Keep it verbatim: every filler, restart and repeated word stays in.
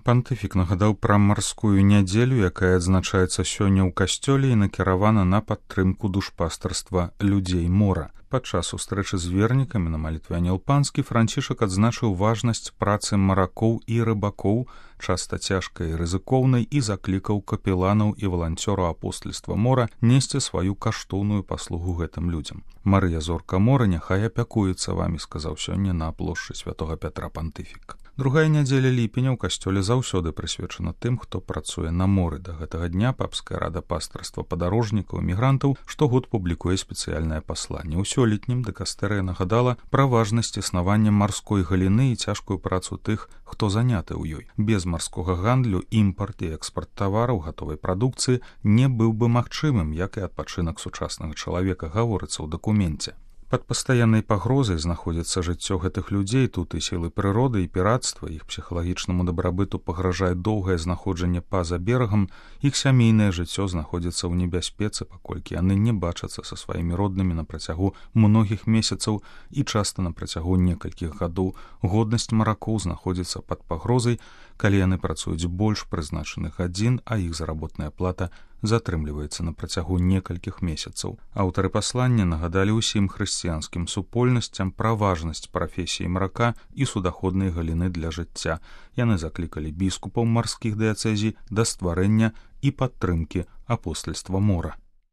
Пантыфік нагадаў пра марскую нядзелю, якая адзначаецца сёння ў касцёле і накіравана на падтрымку душпастарства людзей мора. Падчас сустрэчы з вернікамі на малітве Анёл Панскі Францішак адзначыў важнасць працы маракоў і рыбакоў, часта цяжкай і рызыкоўнай, і заклікаў капеланаў і валанцёраў апостальства мора несці сваю каштоўную паслугу гэтым людзям. Марыя Зорка мора няхай апякуецца вамі, сказаў сёння на плошчы святога Пятра пантыфік. Другая нядзеля ліпеня ў касцёле заўсёды прысвечана тым, хто працуе на моры. Да гэтага дня папская рада пастырства падарожнікаў і мігрантаў штогод публікуе спецыяльнае пасланне. У сёлетнім дыкастэрыя нагадала пра важнасць існавання марской галіны і цяжкую працу тых, хто заняты ў ёй. Без марскога гандлю імпарт і экспарт тавараў гатовай прадукцыі не быў бы магчымым, як і адпачынак сучаснага чалавека, гаворыцца ў дакуменце. Пад пастаяннай пагрозай знаходзіцца жыццё гэтых людзей, тут і сілы прыроды, і піратства, іх псіхалагічнаму дабрабыту пагражае доўгае знаходжанне па-за берагам, іх сямейнае жыццё знаходзіцца ў небяспецы, паколькі яны не бачацца са сваімі роднымі на працягу многіх месяцаў і часта на працягу некалькіх гадоў. Годнасць маракоў знаходзіцца пад пагрозай, калі яны працуюць больш прызначаных гадзін, а іх заработная плата затрымліваецца на працягу некалькіх месяцаў. Аўтары паслання нагадалі ўсім хрысціянскім супольнасцям пра важнасць прафесіі марака і судаходнай галіны для жыцця. Яны заклікалі біскупаў марскіх дыяцэзій да стварэння і падтрымкі апостальства мора.